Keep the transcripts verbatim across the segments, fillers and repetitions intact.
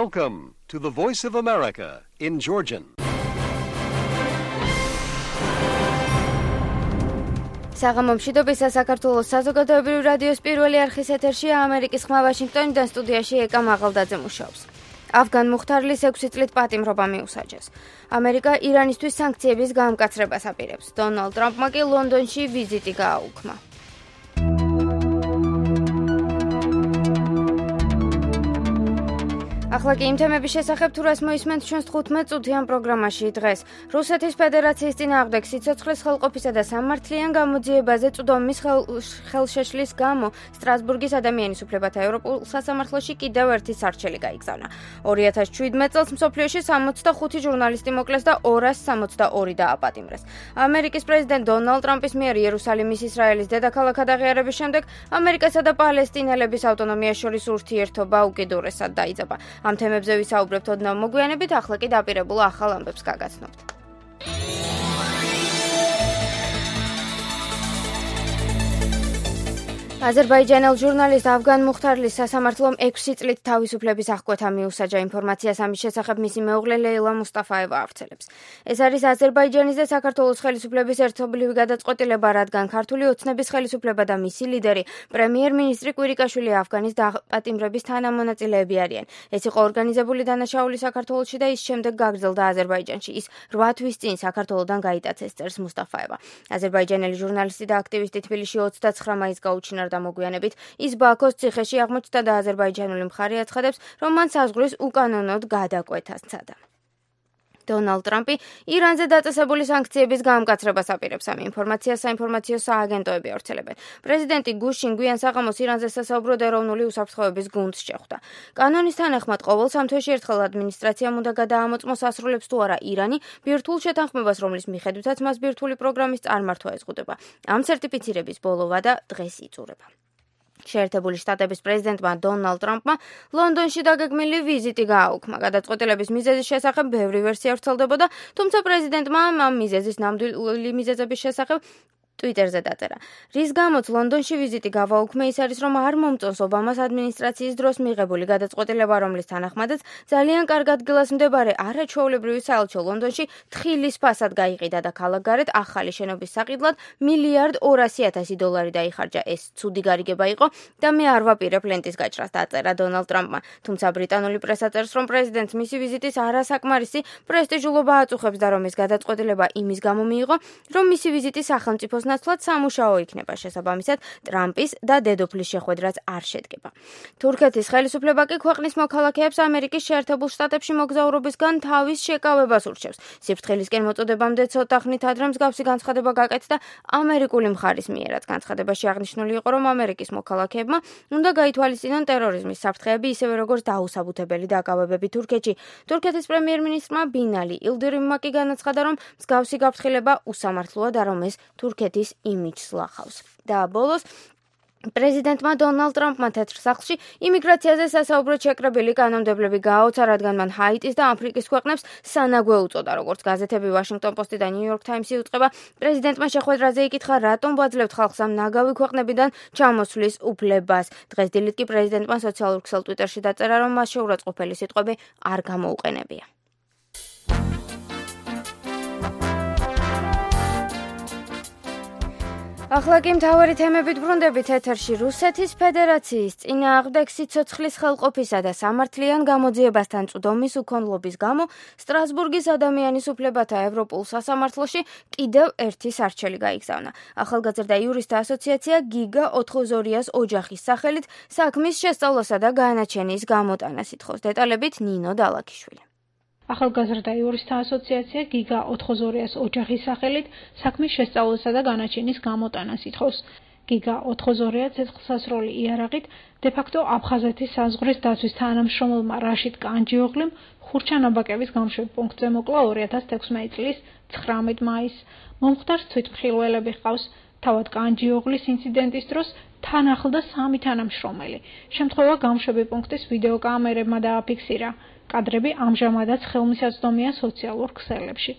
Welcome to the Voice of America in Georgian. საღამომშვიდობისა საქართველოს საზოგადოებრივი რადიოს პირველი არხის ეთერშია ამერიკის ხმა ვაშინგტონიდან სტუდიაში ეკა მაღალდაძე მუშაობს. ავგან მუხთარლის ექვსი წლით პატიმრობა მიუსაჯეს. ამერიკა ირანისთვის სანქციების გამკაცრებას აპირებს. დონალდ ტრამპმა კი ლონდონში ვიზიტი გააუქმა. ახლა კი იმ თემების შესახებ თუ რას მოისმენთ ჩვენს თხუთმეტ წუთიან პროგრამაში დღეს. რუსეთის ფედერაციის წინააღმდეგ სიცოცხლის ხელყოფისა და სამართლიან გამოძიებაზე წვდომის ხელშეშლის გამო სტრასბურგის ადამიანის უფლებათა ევროპულ სასამართლოში კიდევ ერთი სარჩელი გაიგზავნა. ორი ათას შვიდმეტ წელს მსოფლიოში სამოცდახუთი ჟურნალისტი მოკლეს და ორას სამოცდაორი დააპატიმრეს. ამერიკის პრეზიდენტ დონალდ ტრამპის მიერ იერუსალიმის ისრაელის დედაქალაქად აღიარების შემდეგ ამერიკასა და პალესტინელების ავტონომიას შორის ურთიერთობა უკიდურესად დაიძაბა. ამ თემებზე ვისაუბრებთ ოდნავ მოგვიანებით, ახლა კი დაპირებულ ახალ ამბებს გაგაცნობთ. აზერბაიჯანელ ჟურნალისტ ავგან მუხთარლის სასამართლომ ექვსი წლით თავისუფლების აღკვეთა მიუსაჯა. ინფორმაციას ამის შესახებ მისი მეუღლე ლეილა მუსტაფაევა ავრცელებს. ეს არის აზერბაიჯანის და საქართველოს ხელისუფლების ერთობლივი გადაწყვეტილება, რადგან ქართული ოცნების ხელისუფლება და მისი ლიდერი პრემიერ-მინისტრი კვირიკაშვილი ავგანის დაპატიმრების თანამონაწილეები არიან. ეს იყო ორგანიზებული დანაშაული საქართველოში და ის შემდეგ გაგრძელდა აზერბაიჯანში. ის რვა თვის წინ საქართველოდან გაიტაცეს, წერს მუსტაფაევა. აზერბაიჯანელი ჟურნალისტი და აქტივისტი თბილისში ოცდაცხრა მაისს გაუჩინა და მოგვიანებით ის ბაქოს ციხეში აღმოჩნდა და აზერბაიჯანული მხარე აცხადებს, რომ მან საზღვრის უკანონოდ გადაკვეთას სცადა. დონალდ ტრამპი ირანზე დაწესებული სანქციების გამკაცრებას აპირებს. ამ ინფორმაციას საინფორმაციო სააგენტოები ავრცელებენ. პრეზიდენტი გუშინ გვიან საღამოს ირანზე სასაუბროდ ეროვნული უსაფრთხოების გუნდს შეხვდა. კანონის თანახმად ყოველ სამ თვეში ერთხელ ადმინისტრაციამ უნდა გადაამოწმოს ასრულებს თუ არა ირანი ბირთვულ შეთანხმებას, რომლის მიხედვითაც მას ბირთვული პროგრამის წარმართვა ეზღუდება. ამ სერტიფიცირების ბოლო ვადა დღეს იწურება. შეერთებული შტატების პრეზიდენტმა დონალდ ტრამპმა ლონდონში დაგეგმილი ვიზიტი გააუქმა. გადაწყვეტილების მიზეზის შესახებ ბევრი ვერსია ვრცელდებოდა, თუმცა პრეზიდენტმა ამ მიზეზის ნამდვილი მიზეზების შესახებ ტვიტერზე დაწერა. რის გამოც ლონდონში ვიზიტი გავაუქმე, ის არის, რომ არ მომწონს ობამას ადმინისტრაციის დროს მიღებული გადაწყვეტილება, რომლის თანახმადაც ძალიან კარგ ადგილას მდებარე არაჩვეულებრივი საელჩო ლონდონში თხილის ფასად გაიყიდა და ქალაქგარეთ ახალი შენობის საყიდლად მილიარდ ორასი ათასი დოლარი დაიხარჯა. ეს ცუდი გარიგება იყო და მე არ ვაპირებ ლენტის გაჭრას, დაწერა დონალდ ტრამპმა. თუმცა ბრიტანული პრესა წერს, რომ პრეზიდენტს მისი ვიზიტის არასაკმარისი პრესტიჟულობა აწუხებს და რომ ეს გადაწყვეტილება იმის გამო მიიღო, რომ მისი ვიზიტი სახელმწიფოს ნაცვლად სამუშაო იქნება. შესაბამისად, ტრამპის და დედოფლის შეხვედრაც არ შედგება. თურქეთის ხელისუფლება კი ქვეყნის მოქალაქეებს ამერიკის შეერთებულ შტატებში მოგზაურობისგან თავის შეკავებას ურჩევს. სიფრთხილისკენ მოწოდებამდე ცოტა ხნით ადრე მსგავსი განცხადება გაკეთდა ამერიკული მხარის მიერაც. განცხადებაში აღნიშნული იყო, რომ ამერიკის მოქალაქეებმა უნდა გაითვალისწინონ ტერორიზმის საფრთხეები, ისევე როგორც დაუსაბუთებელი დაკავებები თურქეთში. თურქეთის პრემიერ-მინისტრმა ბინალი ილდირიმმა კი განაცხადა, რომ მსგავსი გაფრთხილება უსამართლოა და რომ ეს თურქეთის იმიჯს ლახავს. და ბოლოს პრეზიდენტმა დონალდ ტრამპმა თეთრ სახლში იმიგრაციაზე სასაუბროდ შეკრებილი კანონმდებლები გააოცა, რადგან მან ჰაიტის და აფრიკის ქვეყნებს სანაგვე უწოდა. როგორც გაზეთები ვაშინგტონ პოსტი და ნიუ-იორკ ტაიმსი უწყება, პრეზიდენტმა შეხვედრაზე იკითხა, რატომ ვაძლევთ ხალხს ამ ნაგავი ქვეყნებიდან ჩამოსვლის უფლებას. დღეს დილით კი პრეზიდენტმა სოციალურ ქსელ ტვიტერში დაწერა, რომ მას შეურაცხყოფელი სიტყვები არ გამოუყენებია. ახლა კი მთავარი თემებით ბრუნდებით ეთერში. რუსეთის ფედერაციის წინააღმდეგ სიცოცხლის ხელყოფისა და სამართლიან გამოძიებასთან წვდომის უქონლობის გამო სტრასბურგის ადამიანის უფლებათა ევროპულ სასამართლოში კიდევ ერთი სარჩელი გაიგზავნა. ახალგაზრდა იურისტთა ასოციაცია გიგა ოთხოზორიას ოჯახის სახელით საქმის შესწავლასა და განაჩენის გამოტანას ითხოვს. დეტალებით ნინო დალაქიშვილი. ახალგაზრდა იურისტთა ასოციაცია გიგა ოთხოზორიას ოჯახის სახელით საქმის შესწავლასა და განაჩენის გამოტანას ითხოვს. გიგა ოთხოზორია ცეცხლსასროლი იარაღით დე-ფაქტო აფხაზეთის საზღვრის დაცვის თანამშრომელმა რაშიდ კანჯიოღლიმ ხურჩანაბაკების გამშვებ პუნქტზე მოკლა ორი ათას თექვსმეტი წლის ცხრამეტ მაისს. მომხდარს თვითმხილველები ჰყავს. თავად კანჯიოღლის ინციდენტის დროს თან ახლდა სამი თანამშრომელი. შემთხვევა გამშვები პუნქტის ვიდეოკამერებმა დააფიქსირა. კადრები ამჟამადაც ხელმისაწვდომია სოციალურ ქსელებში.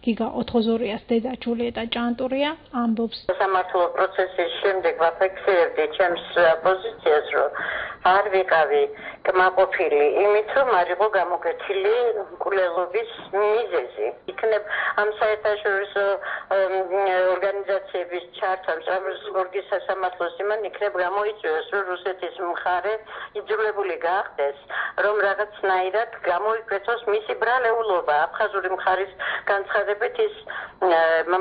გიგა ოთხოზორიას დედა ჯულიეტა ჭანტურია ამბობს. სამართლო პროცესის შემდეგ ვაფიქსირებდი ჩემს პოზიციას, რომ არ ვიყავი კმაყოფილი იმით, რომ არ იყო გამოკეთილი მკვლელობის მიზეზი. იქნებ ამ საერთაშორისო ორგანიზაციების ჩართვა სტრასბურგის სასამართლოს იმან იქნებ გამოიწვიოს, რომ რუსეთის მხარე იძულებული გახდეს, რომ რაღაცნაირად გამოიკვეთოს მისი ბრალეულობა. აფხაზური მხარის განცხადებით ის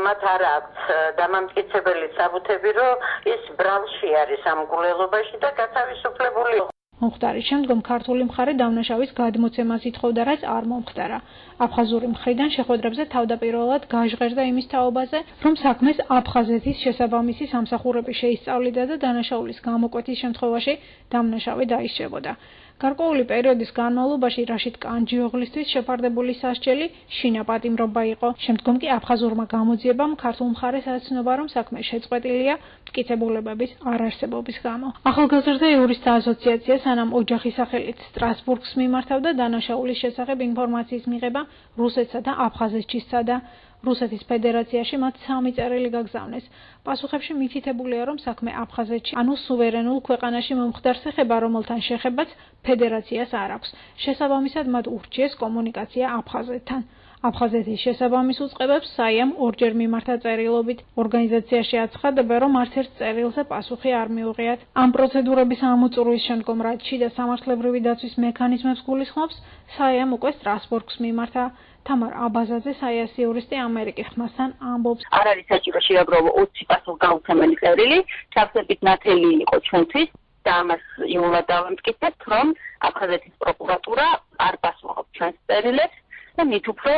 მათ არ აქვს დამამტკიცებელი საბუთები, რომ ის ბრალში არის ამ მკვლელობაში და გათავისუფლებული. მომხდარის შემდგომ ქართული მხარე დამნაშავის გადმოცემას ითხოვდა, რაც არ მომხდარა. აფხაზური მხრიდან შეხვედრებზე თავდაპირველად გაჟღერდა იმის თაობაზე, რომ საქმეს აფხაზეთის შესაბამისი სამსახურები შეისწავლიდა და დანაშაულის გამოკვეთის შემთხვევაში დამნაშავე დაისჯებოდა. გარკვეული პერიოდის განმავლობაში რაშიდ კანჯიოღლისთვის შეფარდებული სასჯელი შინაპატიმრობა იყო. შემდგომ კი აფხაზურმა გამოძიებამ ქართულ მხარეს აცნობა, რომ საქმე შეწყვეტილია მტკიცებულებების არარსებობის გამო. ახალგაზრდა იურისტთა ასოციაცია სანამ ოჯახის სახელით სტრასბურგს მიმართავდა დანაშაულის შესახებ ინფორმაციის მიღება რუსეთსა და აფხაზეთში სცადა. რუსეთის ფედერაციაში მათ სამი წერილი გაგზავნეს. პასუხებში მითითებულია, რომ საქმე აფხაზეთში, ანუ სუვერენულ ქვეყანაში მომხდარს ეხება, რომელთან შეხებაც ფედერაციას არ აქვს. შესაბამისად მათ ურჩიეს კომუნიკაცია აფხაზეთთან. აფხაზეთის შესაბამის უწყებებს საიამ ორჯერ მიმართა წერილობით. ორგანიზაციაში აცხადებენ, რომ არც ერთ წერილზე პასუხი არ მიუღიათ. ამ პროცედურების ამოწურვის შემდგომ, რაც შიდა სამართლებრივი დაცვის მექანიზმებს გულისხმობს, საიამ უკვე სტრასბურგს მიმართა. თამარ აბაზაძე საიას იურისტი ამერიკის ხმასთან ამბობს. არ არის საჭირო შეაგროვო ოცი პასუხგაუცემელი წერილი, ჩავსებით ნათელი იყო ჩვენთვის და ამას იმულად დავამტკიცებთ, რომ აფხაზეთის პროკურატურა არ პასუხობს ჩვენს წერილებს და მით უფრო,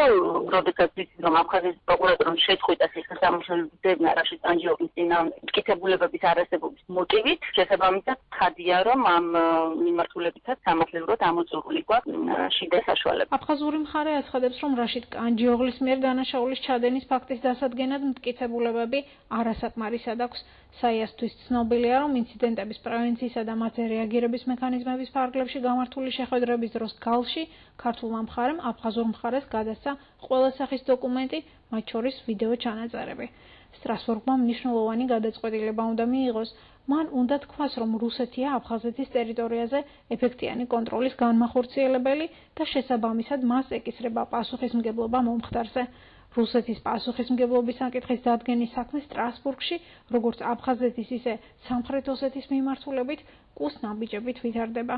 როდესაც ვიცით, რომ აფხაზეთის პროკურატურამ შეწყვიტა სასამართლოების ძებნა რაშიდ კანჯიოღლის წინააღმდეგ მტკიცებულებების არარსებობის მოტივით, შესაბამისად ცხადია, რომ ამ მიმართულებითაც სამართლებრივად ამოწურული გვაქვს შიდა საშუალება. აფხაზური მხარე აცხადებს, რომ რაშიდ კანჯიოღლის მიერ დანაშაულის ჩადენის ფაქტის დასადგენად მტკიცებულებები არასაკმარისად აქვს. საიასთვის ცნობილია, რომ ინციდენტების პრევენციისა და მათზე რეაგირების მექანიზმების ფარგლებში გამართული შეხვედრების დროს გალში ქართულმა მხარემ აფხაზურ მხარეს გადასცა ყველა სახის დოკუმენტი, მათ შორის ვიდეო ჩანაწერები. სტრასბურგმა მნიშვნელოვანი გადაწყვეტილება უნდა მიიღოს. მან უნდა თქვას, რომ რუსეთია აფხაზეთის ტერიტორიაზე ეფექტიანი კონტროლის განმახორციელებელი და შესაბამისად მას ეკისრება პასუხისმგებლობა მომხდარზე. რუსეთის პასუხისმგებლობის საკითხის დადგენის საქმე სტრასბურგში, როგორც აფხაზეთის, ისე სამხრეთ ოსეთის მიმართულებით კუს ნაბიჯებით ვითარდება.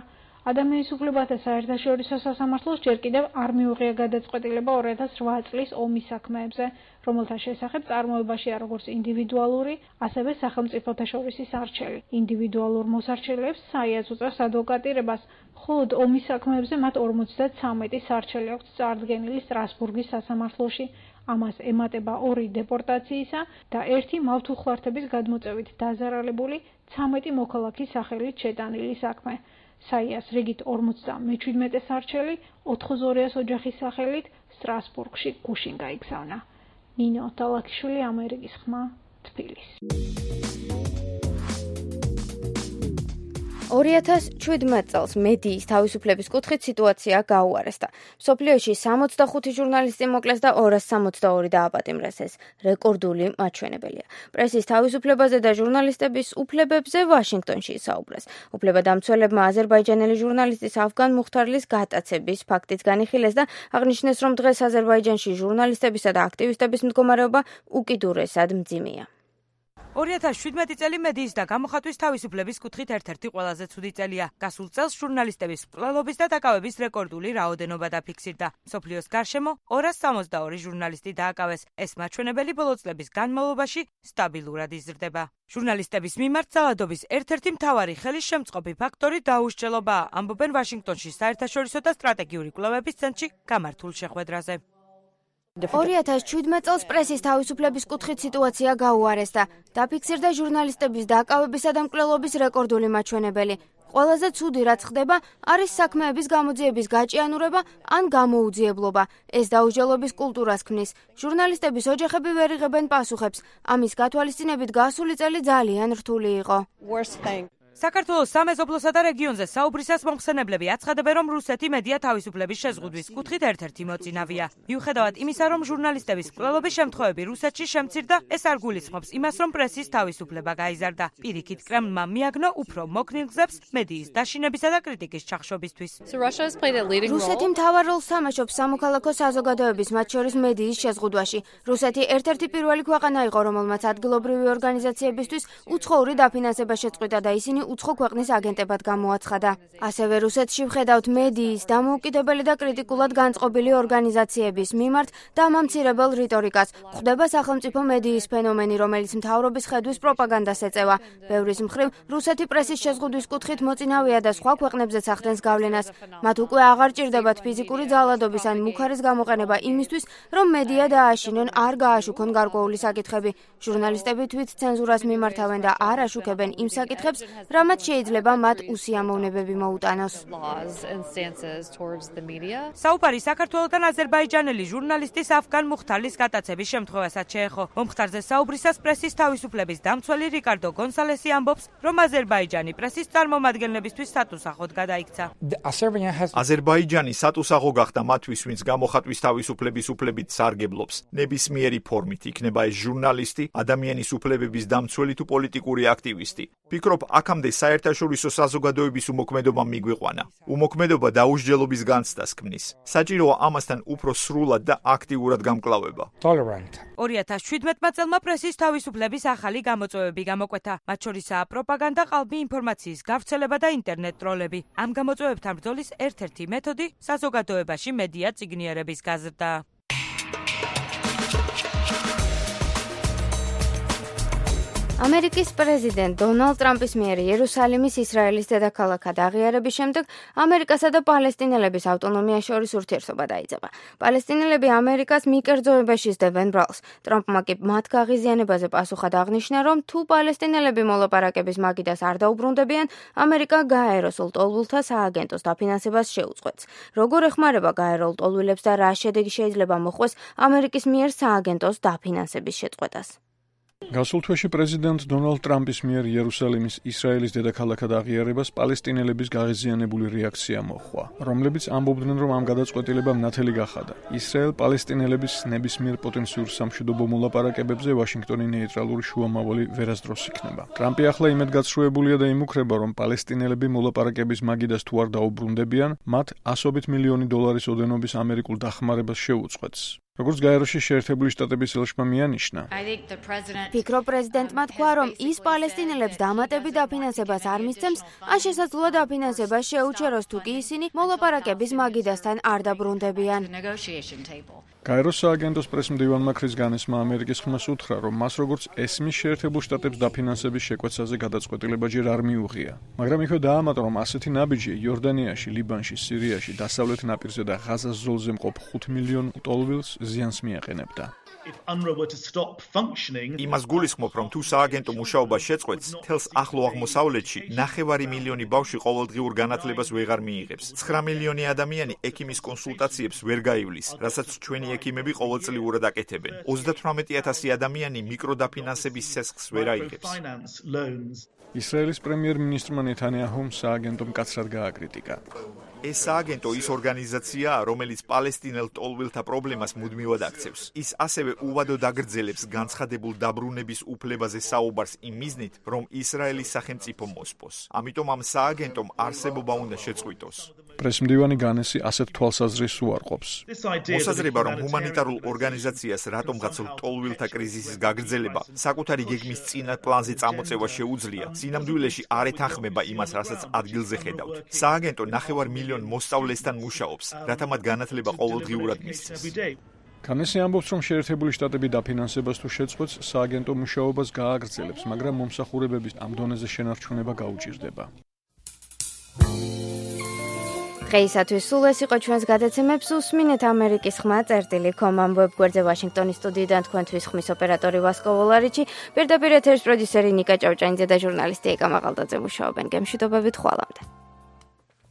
ადამიანის უფლებათა საერთაშორისო სასამართლოს ჯერ კიდევ არ მიუღია გადაწყვეტილება ორი ათას რვა წლის ომის საქმეებზე, რომელთა შესახებ წარმოებაშია როგორც ინდივიდუალური, ასევე სახელმწიფოთა შორისი სარჩელი. ინდივიდუალურ მოსარჩელებს საიას უწევს ადვოკატირებას, ხოლო ომის საქმეებზე მათ ორმოცდათვრამეტი სარჩელი აქვს წარდგენილი სტრასბურგის სასამართლოში. ამას ემატება ორი დეპორტაციისა და ერთი მავთულხლართების გადმოწევით დაზარალებული ცამეტი მოქალაქის სახელით შეტანილი საქმე. საიას რიგით ორმოცდამეჩვიდმეტე სარჩელი ოთხოზორიას ოჯახის სახელით სტრასბურგში გუშინ გაიგზავნა. ნინო თალაქიშვილი, ამერიკის ხმა, თბილისი. ორი ათას შვიდმეტ წელს მედიის თავისუფლების კუთხით სიტუაცია გაუარესდა. მსოფლიოში სამოცდახუთი ჟურნალისტი მოკლეს და ორას სამოცდაორი დააპატიმრეს. ეს რეკორდული მაჩვენებელია. პრესის თავისუფლებაზე და ჟურნალისტების უფლებებზე ვაშინგტონში ისაუბრეს. უფლებადამცველებმა აზერბაიჯანელი ჟურნალისტის ავგან მუხთარლის გატაცების ფაქტიც განიხილეს და აღნიშნეს, რომ დღეს აზერბაიჯანში ჟურნალისტებისა და აქტივისტების მდგომარეობა უკიდურესად მძიმეა. ორი ათას შვიდმეტი წელი მედიის და გამოხატვის თავისუფლების კუთხით ერთ-ერთი ყველაზე ცუდი წელია. გასულ წელს ჟურნალისტების მკვლელობის და დაკავების რეკორდული რაოდენობა დაფიქსირდა. მსოფლიოს გარშემო ორას სამოცდაორი ჟურნალისტი დააკავეს. ეს მაჩვენებელი ბოლო წლების განმავლობაში სტაბილურად იზრდება. ჟურნალისტების მიმართ ძალადობის ერთ-ერთი მთავარი ხელისშემწყობი ფაქტორი დაუსჯელობაა, ამბობენ ვაშინგტონში საერთაშორისო და სტრატეგიული კვლევების ცენტრში გამართულ შეხვედრაზე. ორი ათას შვიდმეტ წელს პრესის თავისუფლების კუთხით სიტუაცია გაუარესდა. დაფიქსირდა ჟურნალისტების დაკავებისა და მკვლელობის რეკორდული მაჩვენებელი. ყველაზე ცუდი რაც ხდება, არის საქმეების გამოძიების გაჭიანურება ან გამოუძიებლობა. ეს დაუსჯელობის კულტურას ქმნის. ჟურნალისტების ოჯახები ვერ იღებენ პასუხებს. ამის გათვალისწინებით გასული წელი ძალიან რთული იყო. საქართველოს სამეზობლოსა და რეგიონზე საუბრისას მომხსენებლები აცხადებენ, რომ რუსეთი მედია თავისუფლების შეზღუდვის კუთხით ერთ-ერთი მოწინავეა. მიუხედავად იმისა, რომ ჟურნალისტების მკვლელობის შემთხვევები რუსეთში შემცირდა, ეს არ გულისხმობს იმას, რომ პრესის თავისუფლება გაიზარდა. პირიქით, კრემლმა მიაგნო უფრო მოქნილ გზებს მედიის დაშინებისა და კრიტიკის ჩახშობისთვის. რუსეთი მთავარ როლს თამაშობს სამოქალაქო საზოგადოების, მათ შორის მედიის შეზღუდვაში. რუსეთი ერთ-ერთი პირველი ქვეყანა იყო, რომელმაც ადგილობრივი ორგანიზაციებისთვის უცხოური დაფინანსება შეწყვიტა და ისინი უცხო ქვეყნის აგენტებად გამოაცხადა. ასევე რუსეთში ვხედავთ მედიის დამოუკიდებელი და კრიტიკულად განწყობილი ორგანიზაციების მიმართ დამამცირებელ რიტორიკას. გვხვდება სახელმწიფო მედიის ფენომენი, რომელიც მთავრობის ხედვის პროპაგანდას ეწევა. ბევრის მხრივ, რუსეთი პრესის შეზღუდვის კუთხით მოწინავეა და სხვა ქვეყნებზეც ახდენს გავლენას. მათ უკვე აღარ ჭირდებათ ფიზიკური ძალადობის ან მუქარის გამოყენება იმისთვის, რომ მედია დააშინონ, არ გააშუქონ გარკვეული საკითხები. ჟურნალისტები თვით ცენზურას მიმართავენ და არ აშუქებენ იმ საკითხებს, რამაც შეიძლება მათ უსიამოვნებები მოუტანოს. საუბარი საქართველოდან აზერბაიჯანელი ჟურნალისტის ავგან მუხთარლის გატაცების შემთხვევასაც შეეხო. მომხდარზე საუბრისას პრესის თავისუფლების დამცველი რიკარდო გონსალესი ამბობს, რომ აზერბაიჯანი პრესის წარმომადგენლებისთვის სატუსაღოდ გადაიქცა. აზერბაიჯანი სატუსაღო გახდა მათთვის, ვინც გამოხატვის თავისუფლების უფლებით სარგებლობს. ნებისმიერი ფორმით იქნება ეს ჟურნალისტი, ადამიანის უფლებების დამცველი თუ პოლიტიკური აქტივისტი. ფიქრობ, აქამდე საერთაშორისო საზოგადოების უმოქმედობა მიგვიყვანა. უმოქმედობა დაუსჯელობის განცდას ქმნის. საჭიროა ამასთან უფრო სრულად და აქტიურად გამკლავება. ორი ათას შვიდმეტმა წელმა პრესის თავისუფლების ახალი გამოწვევები გამოკვეთა. მათ შორისაა პროპაგანდა, ყალბი ინფორმაციის გავრცელება და ინტერნეტ ტროლები. ამ გამოწვევებთან ბრძოლის ერთ-ერთი მეთოდი საზოგადოებაში მედია წიგნიერების გაზრდა. ამერიკის პრეზიდენტ დონალდ ტრამპის მიერ იერუსალიმის ისრაელის დედაქალაქად აღიარების შემდეგ ამერიკასა და პალესტინელების ავტონომიას შორის ურთიერთობა დაიწყება. პალესტინელები ამერიკას მიკერძოებაში სდებენ ბრალს. ტრამპმა კი მათ გაღიზიანებაზე პასუხად აღნიშნა, რომ თუ პალესტინელები მოლაპარაკების მაგიდას არ დაუბრუნდებიან, ამერიკა გაეროსულ ტოლვილთა სააგენტოს დაფინანსებას შეუწყვეტს. როგორ ეხმარება გაეროლ ტოლვილებს და რა შედეგი შეიძლება მოხდეს ამერიკის მიერ სააგენტოს დაფინანსების შეწყვეტას? გასულ თვეში პრეზიდენტ დონალდ ტრამპის მიერ იერუსალიმის ისრაელის დედაქალაქად აღიარებას პალესტინელების გაღიზიანებული რეაქცია მოჰყვა, რომლებიც ამბობდნენ, რომ ამ გადაწყვეტილებამ ნათელი გახადა. ისრაელ პალესტინელების ნებისმიერ პოტენციურ სამშვიდობო მოლაპარაკებებზე ვაშინგტონი ნეიტრალური შუამავალი ვერასდროს იქნება. ტრამპი ახლა იმედგაცრუებულია და იმუქრება, რომ პალესტინელები მოლაპარაკების მაგიდას თუ არ დაუბრუნდებიან, მათ ასობით მილიონი დოლარის ოდენობის ამერიკულ დახმარებას შეუწყვეტს. როგორც გაეროში შეერთებული შტატების ელჩმა მიანიშნა, ფიქრობ პრეზიდენტმა თქვა, რომ ის პალესტინელებს დამატებით დაფინანსებას არ მისცემს, ან შესაძლოა დაფინანსება შეუჩეროს, თუ კი ისინი მოლაპარაკების მაგიდასთან არ დაბრუნდებიან. გაეროს სააგენტოს პრესმდივანმა ქრის განესმა ამერიკის ხმას უთხრა, რომ მას როგორც ესმის შეერთებულ შტატებს დაფინანსების შეკვეცაზე გადაწყვეტილება ჯერ არ მიუღია. მაგრამ იქვე დაამატა, რომ ასეთი ნაბიჯი იორდანიაში, ლიბანში, სირიაში, დასავლეთ ნაპირზე და ღაზას ზოლზე მყოფ ხუთ მილიონ ტოლვილს ზიანს მიაყენებდა. იმას გულისხმობ, რომ თუ სააგენტო მუშაობა შეწყვეტს, თელს ახლო აღმოსავლეთში ნახევარი მილიონი ბავშვი ყოველდღიურ განათლებას ვეღარ მიიღებს. ცხრა მილიონი ადამიანი ექიმის კონსულტაციებს ვერ გაივლის, რასაც ჩვენი ექიმები ყოველწლიურად აკეთებენ. ოცდათვრამეტი ათასი ადამიანი მიკროდაფინანსების სესხს ვერ აიღებს. ისრაელის პრემიერ-მინისტრმა ნეთანიაჰუმ სააგენტომ მკაცრად გააკრიტიკა. ეს სააგენტო ის ორგანიზაციაა, რომელიც პალესტინელ ტოლვილთა პრობლემას მუდმივად აქცევს. ის ასევე უვადოდ აგრძელებს განცხადებულ დაბრუნების უფლებაზე საუბარს იმ მიზნით, რომ ისრაელის სახელმწიფო მოსპოს. ამიტომ ამ სააგენტომ არსებობა უნდა შეწყვიტოს. პრესმდივანი განესი ასეთ თვალსაზრისს უარყოფს. მოსაზრება, რომ ჰუმანიტარულ ორგანიზაციას რატომღაც ტოლვილთა კრიზისის გაგრძელება საკუთარი გეგმის წინა პლანზე წამოწევა შეუძლია, სინამდვილეში არ ეთანხმება იმას, რასაც ადგილზე ხედავთ. სააგენტო ნახევარ მილიონ მოსწავლესთან მუშაობს, რათა მათ განათლება ყოველდღიურად მისცეს. განესი ამბობს, რომ შეერთებული შტატები დაფინანსებას თუ შეწყვეტს, სააგენტო მუშაობას გააგრძელებს, მაგრამ მომსახურებების ამ დონეზე შენარჩუნება გაუჭირდება. დღეისათვის სულ ეს იყო ჩვენს გადაცემებს უსმინეთ ამერიკის ხმა წერტილი კომ ამ ვებგვერდზე ვაშინგტონის სტუდიიდან თქვენთვის ხმის ოპერატორი ვასკო ვოლარიჩი, პირდაპირ ეთერის პროდიუსერი ნიკა ჭავჭანიძე და ჟურნალისტი ეკა მაღალდაძე მუშაობენ. გემშვიდობებით ხვალამდე.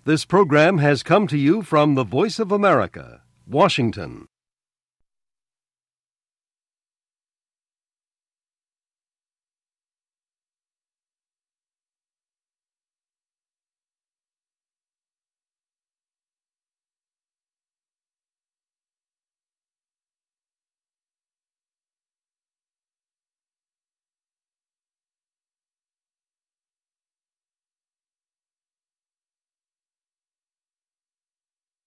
This program has come to you from the Voice of America, Washington.